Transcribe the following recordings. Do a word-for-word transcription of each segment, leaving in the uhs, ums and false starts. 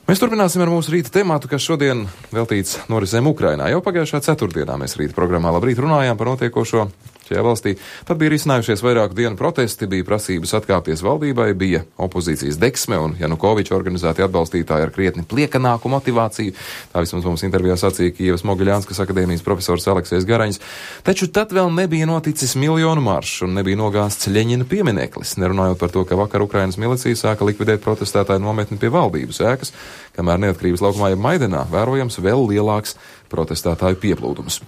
Mēs turpināsim ar mūsu rīta tematu, kas šodien veltīts norisēm Ukrainā. Jau pagājušā ceturtdienā mēs rīta programmā Labrīt runājām par notiekošo šajā valstī. Tad bija risinājušies vairāku dienu protesti, bija prasības atkāpties valdībai, bija opozīcijas deksme un Janukoviča organizēti atbalstītāji ar krietni pliekanāku motivāciju. Tā vismaz mums intervijā sacīja Kijevas Mogiļānskas akadēmijas profesors Aleksejs Garaņs. Taču tad vēl nebija noticis miljonu maršs un nebija nogāsts Ļeņina piemineklis, nerunājot par to, ka vakar Ukrainas milicija sāka likvidēt protestētāju nometni pie valdības ēkas, kamēr Neatkarības laukumā jeb Maidanā vērojams vēl lielāks protestētāju pieplūdums.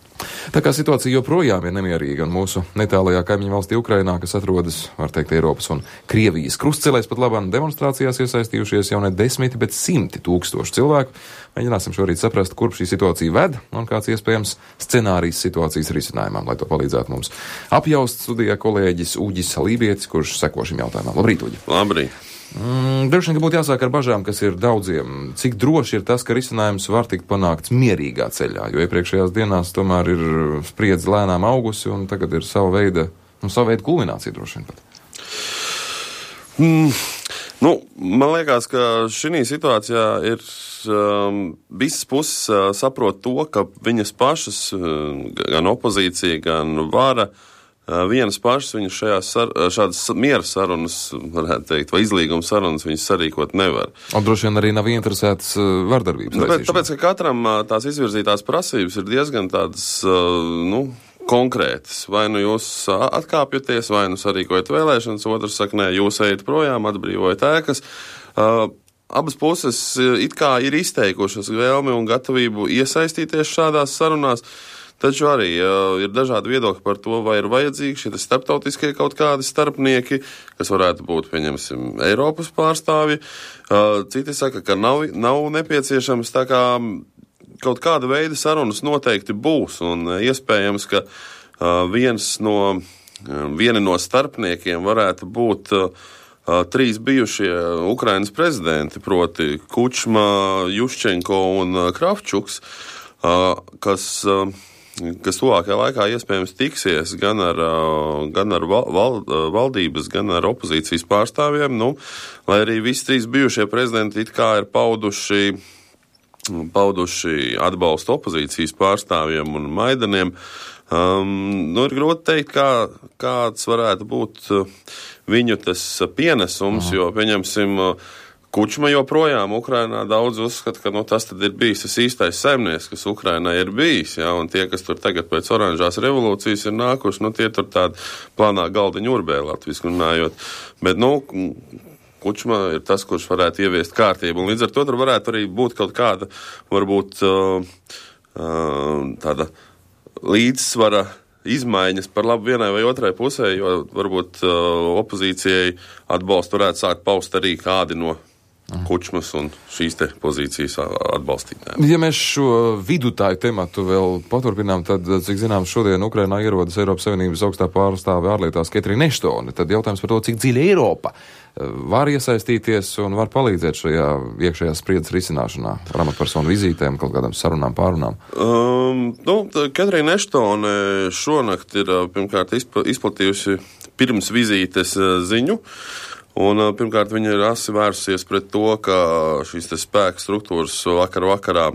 Tā kā situācija joprojām ir nemierīga un mūsu netālajā kaimiņu valstī Ukrainā, kas atrodas, var teikt, Eiropas un Krievijas krustcelēs, pat labāk demonstrācijās iesaistījušies jau ne desmiti, bet simti tūkstoši cilvēku. Mēģināsim šorīt saprast, kurp šī situācija ved un kāds iespējams scenārijs situācijas risinājumam, lai to palīdzētu mums apjaust studijā kolēģis Uģis Lībietis, kurš seko šim jautājumam. Labrīt, Uģi! Labrīt! Mm, Droši vien, ka būtu jāsāk ar bažām, kas ir daudziem. Cik droši ir tas, ka risinājums var tikt panākts mierīgā ceļā, jo iepriekšējās dienās tomēr ir spriedze lēnām augusi un tagad ir sava veida, nu, sava veida kulminācija droši vien pat. Mm, nu, man liekas, ka šī situācijā ir um, visas puses uh, saprot to, ka viņas pašas, uh, gan opozīcija, gan vara, vienas pašas viņas šajās sar, šādas miera sarunas, varētu teikt, vai izlīguma sarunas viņas sarīkot nevar. Un droši vien arī nav interesētas vardarbības. Tāpēc, tāpēc, ka katram tās izvirzītās prasības ir diezgan tādas, nu, konkrētas. Vai nu jūs atkāpjaties, vai nu sarīkojat vēlēšanas, otrs saka, nē, jūs ejat projām, atbrīvojat ēkas. Uh, abas puses it kā ir izteikušas vēlmi un gatavību iesaistīties šādās sarunās. Taču arī uh, ir dažādi viedokļi par to, vai ir vajadzīgi šie starptautiskie kaut kādi starpnieki, kas varētu būt, pieņemsim, Eiropas pārstāvji. Uh, citi saka, ka nav, nav nepieciešams, tā kā kaut kāda veida sarunas noteikti būs, un uh, iespējams, ka uh, viens no, uh, vieni no starpniekiem varētu būt uh, uh, trīs bijušie Ukrainas prezidenti, proti Kučma, Juščenko un uh, Kravčuks, uh, kas... Uh, kas tuvākajā laikā iespējams tiksies gan ar, gan ar val, val, valdības, gan ar opozīcijas pārstāvjiem, nu, lai arī visi trīs bijušie prezidenti it kā ir pauduši, pauduši atbalstu opozīcijas pārstāvjiem un Maidaniem. Um, nu, ir grūti teikt, kā, kāds varētu būt viņu tas pienesums, jo, pieņemsim, Kučma joprojām Ukrainā daudz uzskata, ka nu, tas tad ir bijis tas īstais saimnieks, kas Ukrainā ir bijis, ja, un tie, kas tur tagad pēc oranžās revolūcijas ir nākuši, nu tie tur tādi plānā galdiņu urbē latviski runājot. Bet, nu, Kučma ir tas, kurš varētu ieviest kārtību, un līdz ar to tur varētu arī būt kaut kāda, varbūt uh, uh, tāda līdzsvara izmaiņas par labu vienai vai otrai pusē, jo varbūt uh, opozīcijai atbalstu varētu sākt paust arī kādi no Kučmas un šīs te pozīcijas atbalstītājiem. Ja mēs šo vidutāju tematu vēl paturpinām, tad, cik zinām, šodien Ukrainā ierodas Eiropas Savienības augstā pārstāve ārlietās Ketrīna Eštone. Tad jautājums par to, cik dziļi Eiropa var iesaistīties un var palīdzēt šajā iekšējās spriedzes risināšanā ar amatpersonu vizītēm, kaut kādām sarunām, pārunām. Um, nu, Ketrīna Eštone šonakt ir pirmkārt izplatījusi pirms vizītes ziņu. Un, pirmkārt, viņa ir asi vērsusies pret to, ka šīs te spēka struktūras vakar vakarā e,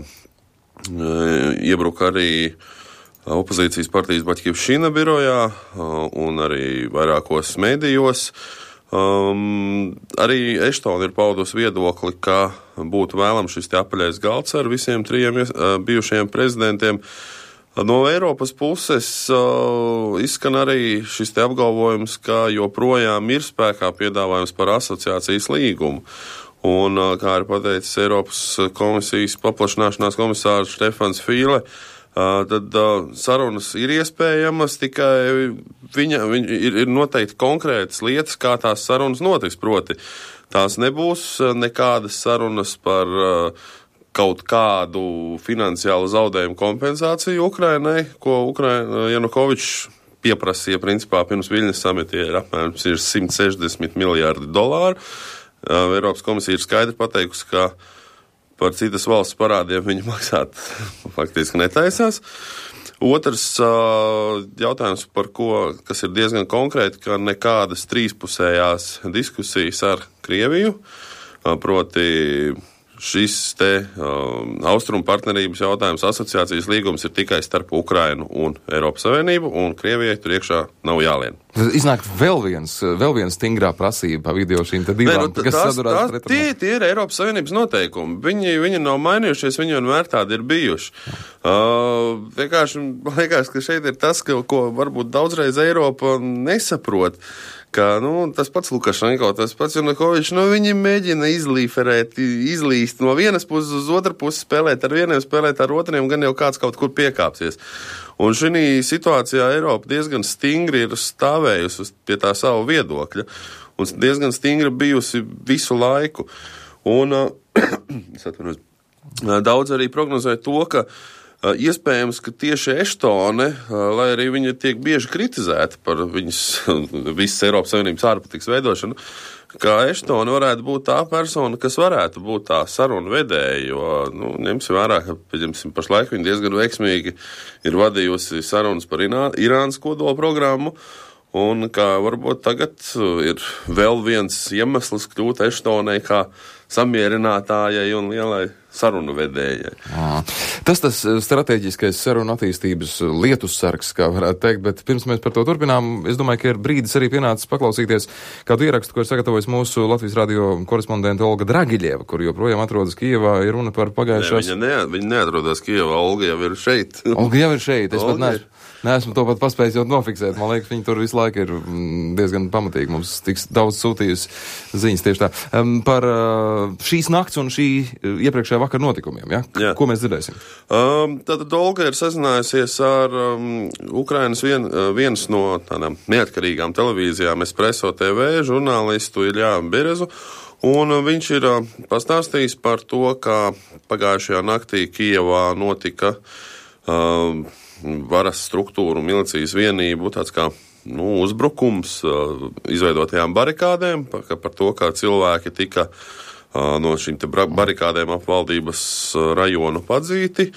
iebruka arī opozīcijas partijas Baķkivšina birojā un arī vairākos medijos. Um, arī Eštone ir paudusi viedokli, ka būtu vēlams šis te apaļais galds ar visiem trijiem bijušajiem prezidentiem. No Eiropas puses uh, izskan arī šis te apgalvojums, ka joprojām ir spēkā piedāvājums par asociācijas līgumu. Un, uh, kā ir pateicis Eiropas komisijas paplašināšanās komisārs Štefans Fīle, uh, tad uh, sarunas ir iespējamas, tikai viņa, viņa ir, ir noteikti konkrētas lietas, kā tās sarunas notiks. Proti, tās nebūs nekādas sarunas par uh, kaut kādu finansiālu zaudējumu kompensāciju Ukrainai, ko Ukraina Janukovičs pieprasīja principā pirms Viļņas samita ir apmēram simt sešdesmit miljārdi dolāru. Eiropas komisija ir skaidri pateikusi, ka par citas valsts parādiem viņi maksāt faktiski netaisās. Otrs jautājums, par ko, kas ir diezgan konkrēti, ka nekādas trīspusējās diskusijas ar Krieviju, proti šis te um, austrumu partnerības jautājums, asociācijas līgums ir tikai starp Ukrainu un Eiropas Savienību, un Krievijai tur iekšā nav jālien. Iznāk vēl viens, vēl viens stingrā prasība pa video šīm te divām, Nē, nu, kas tās, sadurās tās, tie, tie ir Eiropas Savienības noteikumi. Viņi, viņi nav mainījušies, viņi vienmēr tādi ir bijuši. Uh, vienkārši, man liekas, ka šeit ir tas, ka, ko varbūt daudzreiz Eiropa nesaprot. Ka, nu, tas pats Lukašenko, tas pats Janukovičs, nu, viņi mēģina izlīferēt, izlīst no vienas puses uz otru pusi, spēlēt ar vieniem, spēlēt ar otriem, gan jau kāds kaut kur piekāpsies. Un šī situācijā Eiropa diezgan stingri ir stāvējusi pie tā savu viedokļa, un diezgan stingri bijusi visu laiku. Un uh, daudz arī prognozēja to, ka iespējams, ka tieši Eštone, lai arī viņa tiek bieži kritizēta par viņas visas Eiropas Savienības ārpolitikas veidošanu, ka Eštone varētu būt tā persona, kas varētu būt tā saruna vedēja, jo, nu, ņemsim vērā, ka, pieņemsim, pašlaik viņa diezgan veiksmīgi ir vadījusi sarunas par Irānas kodola programmu, un kā varbūt tagad ir vēl viens iemesls kļūt Eštonei kā samierinātājai un lielai sarunu vedējai. À, tas tas strateģiskais sarunu attīstības lietussargs, kā varētu teikt, bet pirms mēs par to turpinām, es domāju, ka ir brīdis arī pienācis paklausīties kādu ierakstu, ko ir sagatavojis mūsu Latvijas radio korespondente Olga Dragiļeva, kur joprojām atrodas Kijevā, ir runa par pagājušās... Ne, viņa, ne, viņa neatrodas Kijevā, Olga jau ir šeit. Olga jau ir šeit, es Olga... pat neesmu. Neesmu to pat paspējis jau nofiksēt. Man liekas, viņi tur visu laiku ir diezgan pamatīgi. Mums tiks daudz sūtījusi ziņas tieši tā. Um, par uh, šīs nakts un šī iepriekšējā vakara notikumiem, ja? Jā. Ko mēs dzirdēsim? Um, tātad Olga ir sazinājusies ar um, Ukrainas vien, vienas no tādām neatkarīgām televīzijām Espresso T V žurnālistu Iļā Berezu. Un viņš ir uh, pastāstījis par to, kā pagājušajā naktī Kijevā notika uh, varas struktūru, milicijas vienību, tāds kā nu, uzbrukums uh, izveidotajām barikādēm, par, par to, kā cilvēki tika uh, no šīm te barikādēm ap valdības rajonu padzīti,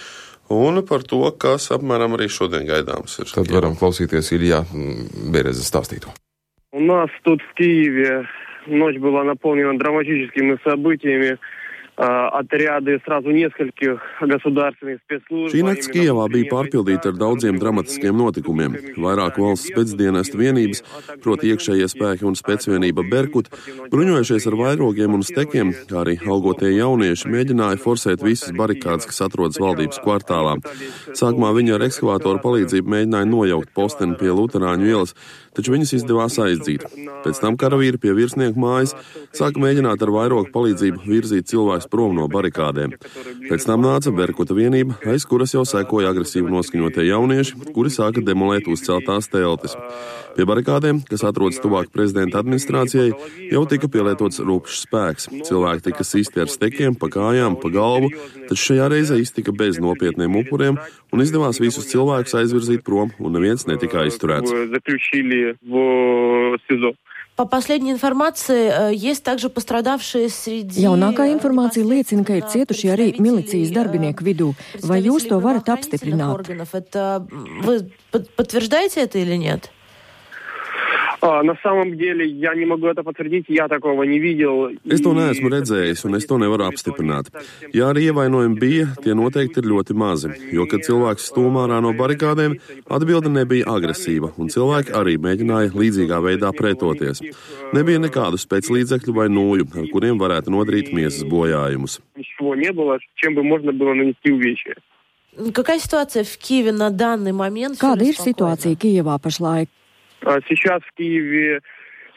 un par to, kas apmēram arī šodien gaidāms ir. Tad varam klausīties Iļā Береза stāstīto. У нас тут в Киеве ночь была наполнена драматическими событиями. Отряды сразу нескольких государственных спецслужб. Šī nakts Kijevā bija pārpildīta ar daudziem dramatiskiem notikumiem. Vairāk valsts specdienestu vienības, proti iekšējie spēki un specvienība Berkut, bruņojušies ar vairogiem un stekiem, kā arī algotie jaunieši mēģināja forsēt visas barikādes, kas atrodas valdības kvartālā. Sākumā viņi ar ekskavātoru palīdzību mēģināja nojaukt posteni pie Luterāņu ielas, taču viņas izdevās aizdzīt. Pēc tam karavīri pie virsnieku mājas sāka mēģināt ar vairogu palīdzību virzīt cilvēkus prom no barikādēm. Pēc tam nāca Berkuta vienība, aiz kuras jau sekoja agresīvi noskaņotie jaunieši, kuri sāka demolēt uzceltās teltis. Pie barikādēm, kas atrodas tuvāk prezidenta administrācijai, jau tika pielietots rupšs spēks. Cilvēki tika sisti ar stekiem, pa kājām, pa galvu, taču šajā reizē iztika bez nopietniem upuriem un izdevās visus cilvēkus aizvirzīt prom, un neviens netika aizturēts. По последней информации, есть также пострадавшие среди... Jaunākā informācija liecina, ka ir cietuši arī milicijas darbinieku vidū. Vai jūs to varat apstiprināt? Это... Вы подтверждаете это или нет? А, на самом деле, я не могу это подтвердить, я такого не видел. Es to neesmu redzējis, un es to nevaru apstiprināt. Ja arī ievainojumi bija, tie noteikti ir ļoti mazi, jo, kad cilvēks stūmā ārā no barikādēm, atbilde nebija agresīva, un cilvēki arī mēģināja līdzīgā veidā pretoties. Nebija nekādu spēclīdzekļu vai nūju, ar kuriem varētu nodarīt miesas bojājumus. Какая ситуация в Киеве на данный момент? Kāda ir situācija Kijevā pašlaik? Сейчас в Киеве,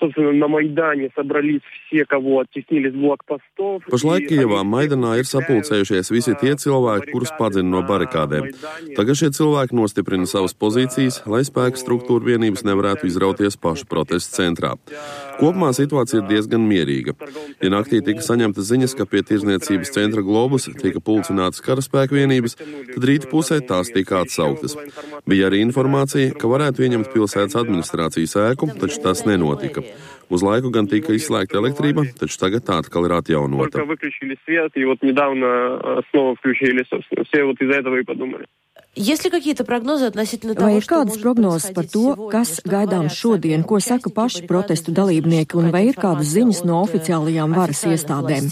собственно, на Майдане собрались все, кого оттеснили с блокпостов. Pašlaik Kijevā Maidanā ir sapulcējušies visi tie cilvēki, kurus padzina no barikādēm. Tagad šie cilvēki nostiprina savas pozīcijas, lai spēku struktūra vienības nevarētu izrauties pašu protestu centrā. Kopumā situācija ir diezgan mierīga. Ja naktī tika saņemtas ziņas, ka pie tirzniecības centra Globus tika pulcinātas karaspēku vienības, tad rīta pusē tās tika atsauktas. Bija arī informācija, ka varētu ieņemt pilsētas administrācijas ēku, taču tas nenotika. Uz laiku gan tika izslēgta elektrība, taču tagad tā atkal ir atjaunota. Есть ли какие-то прогнозы относительно того, vai ir kādas prognozes par to, kas gaidāms šodien, ko saka paši protestu dalībnieki, un vai ir kādas ziņas no oficiālajām varas iestādēm?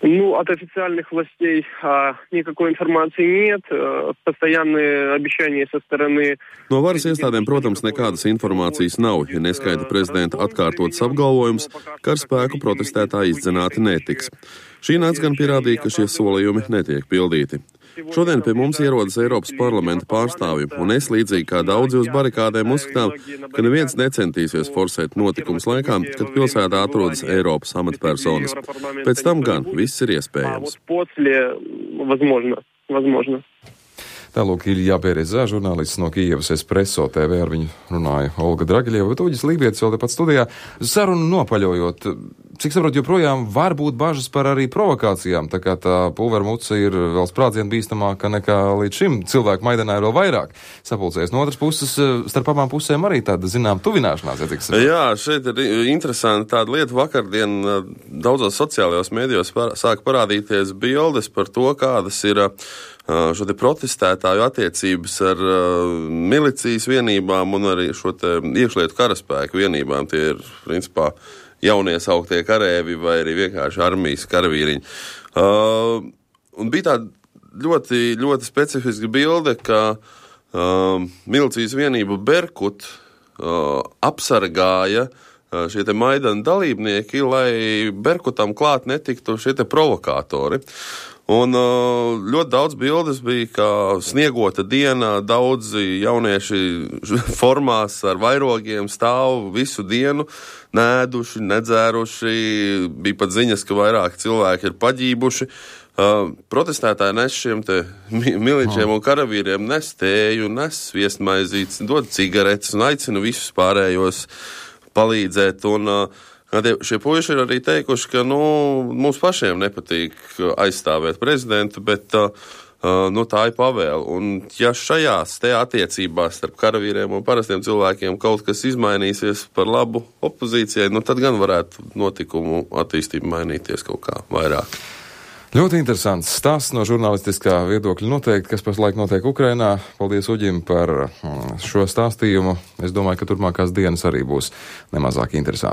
Ну, от официальных властей а, никакой информации нет. А, постоянные обещания со стороны... No varas iestādēm, protams, nekādas informācijas nav, ja neskaita prezidenta atkārtotas apgalvojums, ka ar spēku protestētāji izdzināti netiks. Šī nakts gan pierādīja, ka šie solījumi netiek pildīti. Šodien pie mums ierodas Eiropas parlamenta pārstāvji, un es līdzīgi kā daudzi uz barikādēm uzskatām, ka neviens necentīsies forsēt notikumus laikā, kad pilsētā atrodas Eiropas amatpersonas. Pēc tam gan viss ir iespējams. Tālūk Ilja Berezā, žurnālists no Kijevas Espresso T V, ar viņu runāja Olga Dragiļeva, bet Uģis Lībietis vēl tepat studijā. Sarunu nopaļojot, cik saprot, joprojām var būt bažas par arī provokācijām, tā kā tā pulvermuca ir vēl sprādzienu bīstamāka nekā līdz šim. Cilvēku Maidanā ir vēl vairāk sapulcējies. No otras puses, starp abām pusēm arī tāda, zinām, tuvināšanās. Ja cik saprot. Jā, šeit ir interesanti tāda lieta. Vakardien daudzos sociālajos mēdījos sāk parādīties bildes par to, kādas ir šo te protestētāju attiecības ar uh, milicijas vienībām un arī šo te iekšlietu karaspēku vienībām. Tie ir, principā, jauniesauktie karēvi vai arī vienkārši armijas karavīriņi. Uh, un bija tāda ļoti, ļoti specifiska bilde, ka uh, milicijas vienība Berkut uh, apsargāja uh, šie te Maidana dalībnieki, lai Berkutam klāt netiktu šie te provokātori. Un ļoti daudz bildes bija, kā sniegota diena, daudzi jaunieši formās ar vairogiem stāv visu dienu, nēduši, nedzēruši, bija pat ziņas, ka vairāk cilvēki ir paģībuši. Protestētāji nes šiem te miličiem un karavīriem nes tēju, nes sviestmaizītes, dod cigaretes un aicina visus pārējos palīdzēt. Un šie puiši ir arī teikuši, ka nu, mums pašiem nepatīk aizstāvēt prezidentu, bet uh, nu, tā ir pavēle. Un ja šajās te attiecībās starp karavīriem un parastiem cilvēkiem kaut kas izmainīsies par labu opozīcijai, nu, tad gan varētu notikumu attīstību mainīties kaut kā vairāk. Ļoti interesants stāsts no žurnālistiskā viedokļa noteikti, kas pašlaik notiek Ukrainā. Paldies Uģim par šo stāstījumu. Es domāju, ka turpmākās dienas arī būs nemazāk interesanti.